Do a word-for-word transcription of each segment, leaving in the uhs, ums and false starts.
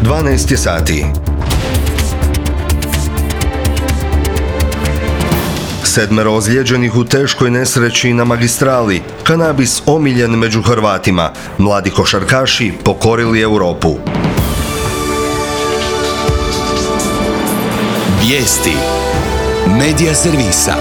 dvanaest je sati. Sedmero ozlijeđenih u teškoj nesreći na magistrali. Kanabis omiljen među Hrvatima. Mladi košarkaši pokorili Europu. Vijesti Medija servisa.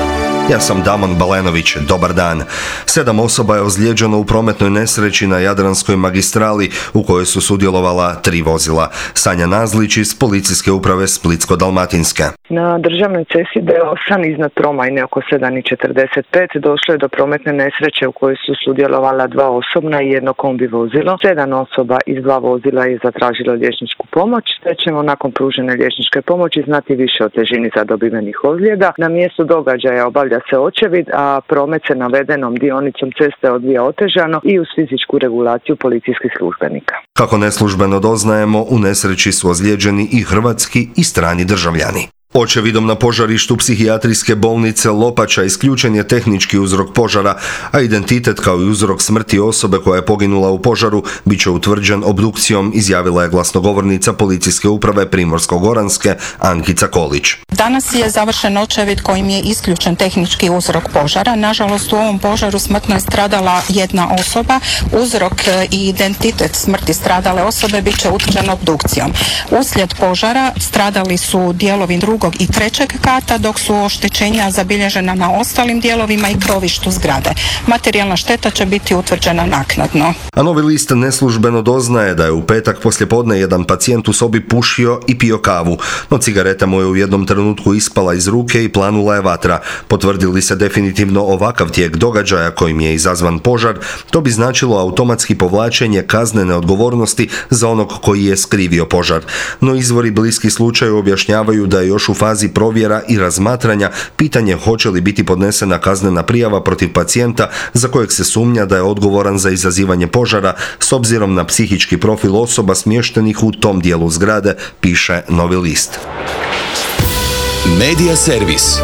Ja sam Damon Balenović, dobar dan. Sedam osoba je ozlijeđeno u prometnoj nesreći na Jadranskoj magistrali u kojoj su sudjelovala tri vozila. Sanja Nazlić iz Policijske uprave Splitsko-dalmatinske. Na državnoj cesti D osam iznad Tromajne oko sedam i četrdeset pet došlo je do prometne nesreće u kojoj su sudjelovala dva osobna i jedno kombi vozilo. Sedam osoba iz dva vozila je zatražilo liječničku pomoć, te ćemo nakon pružene liječničke pomoći znati više o težini zadobivenih ozljeda. Na mjestu događaja obavlja se očevid, a promet se navedenom dionicom ceste odvija otežano i uz fizičku regulaciju policijskih službenika. Kako neslužbeno doznajemo, u nesreći su ozlijeđeni i hrvatski i strani državljani. Očevidom na požarištu psihijatrijske bolnice Lopača isključen je tehnički uzrok požara, a identitet kao i uzrok smrti osobe koja je poginula u požaru bit će utvrđen obdukcijom, izjavila je glasnogovornica Policijske uprave Primorsko-goranske Ankica Kolić. Danas je završen očevid kojim je isključen tehnički uzrok požara. Nažalost, u ovom požaru smrtno je stradala jedna osoba. Uzrok i identitet smrti stradale osobe bit će utvrđen obdukcijom. Uslijed požara stradali su dijelovi drugog i trećeg kata, dok su oštećenja zabilježena na ostalim dijelovima i krovištu zgrade. Materijalna šteta će biti utvrđena naknadno. A Novi list neslužbeno doznaje da je u petak poslijepodne jedan pacijent u sobi pušio i pio kavu, no cigareta mu je u jednom trenutku ispala iz ruke i planula je vatra. Potvrdili se definitivno ovakav tijek događaja kojim je izazvan požar, to bi značilo automatski povlačenje kaznene odgovornosti za onog koji je skrivio požar. No izvori bliski slučaju objašnjavaju da je još u fazi provjera i razmatranja pitanje hoće li biti podnesena kaznena prijava protiv pacijenta za kojeg se sumnja da je odgovoran za izazivanje požara s obzirom na psihički profil osoba smještenih u tom dijelu zgrade, piše Novi list. Medija servis.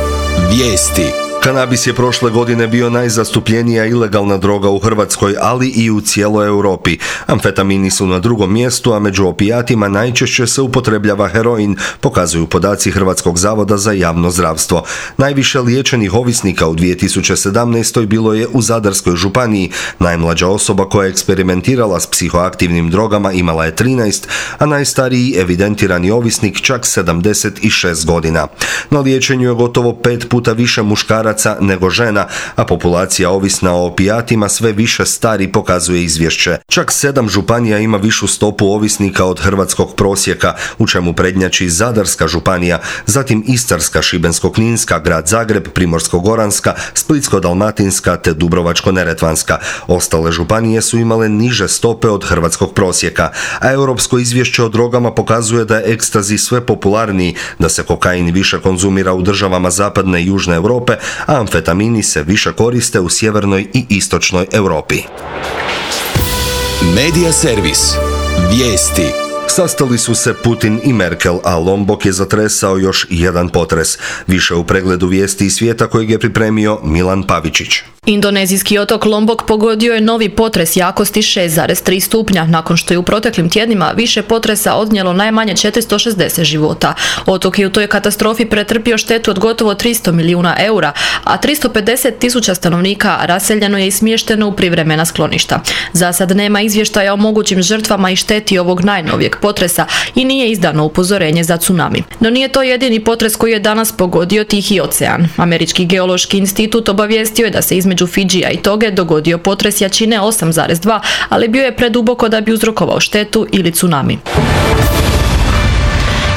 Vijesti. Kanabis je prošle godine bio najzastupljenija ilegalna droga u Hrvatskoj, ali i u cijeloj Europi. Amfetamini su na drugom mjestu, a među opijatima najčešće se upotrebljava heroin, pokazuju podaci Hrvatskog zavoda za javno zdravstvo. Najviše liječenih ovisnika u dvije tisuće sedamnaestoj bilo je u Zadarskoj županiji. Najmlađa osoba koja je eksperimentirala s psihoaktivnim drogama imala je trinaest, a najstariji evidentirani ovisnik čak sedamdeset šest godina. Na liječenju je gotovo pet puta više muškaraca nego žena, a populacija ovisna o opijatima sve više stari, pokazuje izvješće. Čak sedam županija ima višu stopu ovisnika od hrvatskog prosjeka, u čemu prednjači Zadarska županija, zatim Istarska, Šibensko-kninska, Grad Zagreb, Primorsko-goranska, Splitsko-dalmatinska te Dubrovačko-neretvanska. Ostale županije su imale niže stope od hrvatskog prosjeka, a europsko izvješće o drogama pokazuje da je ekstazi sve popularniji, da se kokain više konzumira u državama zapadne i južne Europe, a amfetamini se više koriste u sjevernoj i istočnoj Europi. Medija servis. Vijesti. Sastali su se Putin i Merkel, a Lombok je zatresao još jedan potres. Više u pregledu vijesti iz svijeta kojeg je pripremio Milan Pavičić. Indonezijski otok Lombok pogodio je novi potres jakosti šest zarez tri stupnja, nakon što je u proteklim tjednima više potresa odnijelo najmanje četiristo šezdeset života. Otok je u toj katastrofi pretrpio štetu od gotovo tristo milijuna eura, a tristo pedeset tisuća stanovnika raseljeno je i smješteno u privremena skloništa. Za sad nema izvještaja o mogućim žrtvama i šteti ovog najnovijeg potresa i nije izdano upozorenje za tsunami. No nije to jedini potres koji je danas pogodio Tihi ocean. Američki geološki institut obavijestio je da se između Fidžija i Toge dogodio potres jačine osam zarez dva, ali bio je preduboko da bi uzrokovao štetu ili tsunami.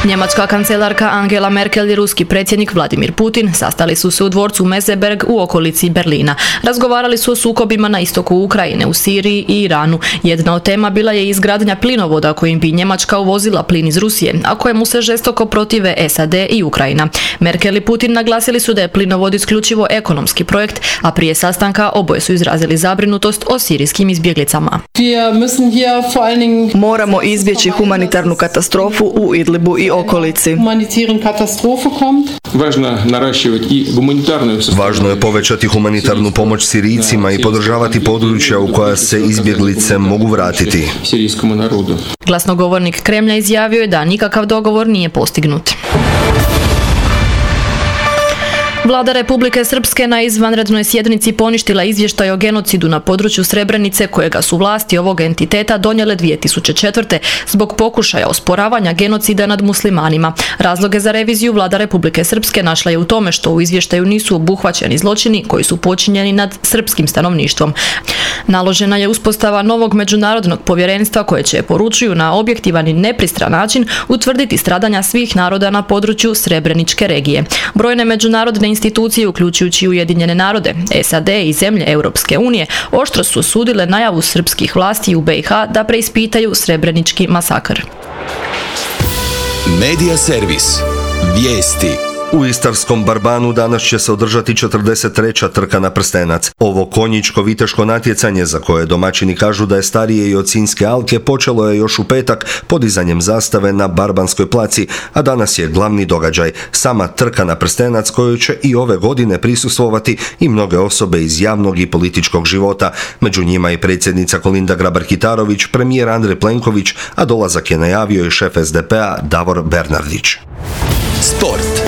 Njemačka kancelarka Angela Merkel i ruski predsjednik Vladimir Putin sastali su se u dvorcu Meseberg u okolici Berlina. Razgovarali su o sukobima na istoku Ukrajine, u Siriji i Iranu. Jedna od tema bila je izgradnja plinovoda kojim bi Njemačka uvozila plin iz Rusije, a kojemu se žestoko protive S A D i Ukrajina. Merkel i Putin naglasili su da je plinovod isključivo ekonomski projekt, a prije sastanka oboje su izrazili zabrinutost o sirijskim izbjeglicama. Moramo izbjeći humanitarnu katastrofu u Idlibu i okolici. Važno je povećati humanitarnu pomoć Sirijcima i podržavati područja u koja se izbjeglice mogu vratiti. Glasnogovornik Kremlja izjavio je da nikakav dogovor nije postignut. Vlada Republike Srpske na izvanrednoj sjednici poništila izvještaj o genocidu na području Srebrenice kojega su vlasti ovog entiteta donijele dvije tisuće četvrte. zbog pokušaja osporavanja genocida nad muslimanima. Razloge za reviziju Vlada Republike Srpske našla je u tome što u izvještaju nisu obuhvaćeni zločini koji su počinjeni nad srpskim stanovništvom. Naložena je uspostava novog međunarodnog povjerenstva koje će, poručuju, na objektivan i nepristran način utvrditi stradanja svih naroda na području Srebreničke regije. Brojne međunarodne institucije, uključujući Ujedinjene narode, S A D i zemlje Europske unije, oštro su osudile najavu srpskih vlasti u B i H da preispitaju Srebrenički masakr. Medija servis. Vijesti. U istarskom Barbanu danas će se održati četrdeset treća trka na prstenac. Ovo konjičko-viteško natjecanje, za koje domaćini kažu da je starije i od Sinjske alke, počelo je još u petak podizanjem zastave na Barbanskoj placi, a danas je glavni događaj sama trka na prstenac kojoj će i ove godine prisustvovati i mnoge osobe iz javnog i političkog života. Među njima i predsjednica Kolinda Grabar-Kitarović, premijer Andrej Plenković, a dolazak je najavio i šef S D P-a Davor Bernardić. Sport.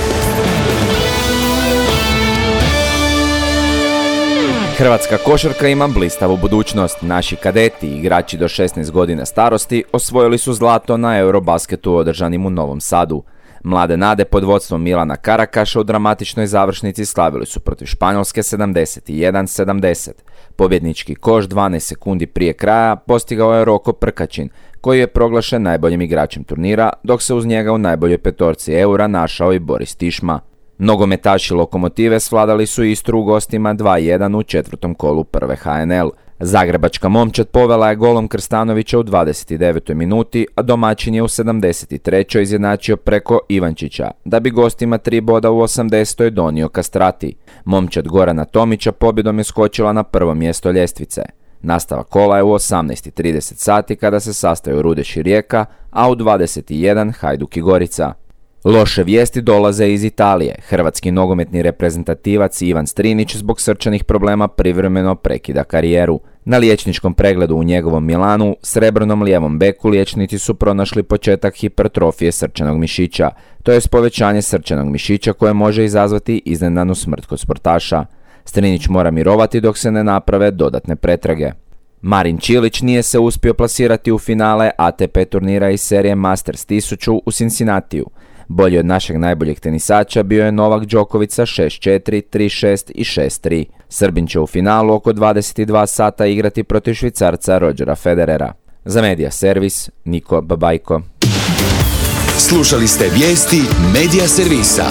Hrvatska košarka ima blistavu budućnost. Naši kadeti i igrači do šesnaest godina starosti osvojili su zlato na Eurobasketu održanim u Novom Sadu. Mlade nade pod vodstvom Milana Karakaša u dramatičnoj završnici slavili su protiv Španjolske sedamdeset jedan sedamdeset. Pobjednički koš dvanaest sekundi prije kraja postigao je Roko Prkačin, koji je proglašen najboljim igračem turnira, dok se uz njega u najboljoj petorci Eura našao i Boris Tišma. Nogometaši Lokomotive svladali su Istru u gostima dva jedan u četvrtom kolu prve H N L. Zagrebačka momčad povela je golom Krstanovića u dvadeset devetoj minuti, a domaćin je u sedamdeset trećoj izjednačio preko Ivančića, da bi gostima tri boda u osamdesetoj donio Kastrati. Momčad Gorana Tomića pobjedom je skočila na prvo mjesto ljestvice. Nastavak kola je u osamnaest trideset sati kada se sastaju Rudeš i Rijeka, a u dvadeset jedan Hajduk i Gorica. Loše vijesti dolaze iz Italije. Hrvatski nogometni reprezentativac Ivan Strinić zbog srčanih problema privremeno prekida karijeru. Na liječničkom pregledu u njegovom Milanu, srebrnom lijevom beku liječnici su pronašli početak hipertrofije srčanog mišića, to je povećanje srčanog mišića koje može izazvati iznenadnu smrt kod sportaša. Strinić mora mirovati dok se ne naprave dodatne pretrage. Marin Čilić nije se uspio plasirati u finale A T P turnira iz serije Masters tisuću u Cincinnatiju. Bolji od našeg najboljeg tenisača bio je Novak Đoković sa šest četiri, tri šest i šest tri. Srbin će u finalu oko dvadeset dva sata igrati protiv Švicarca Rodgera Federera. Za Medija servis, Niko Babajko. Slušali ste vijesti Medija servisa.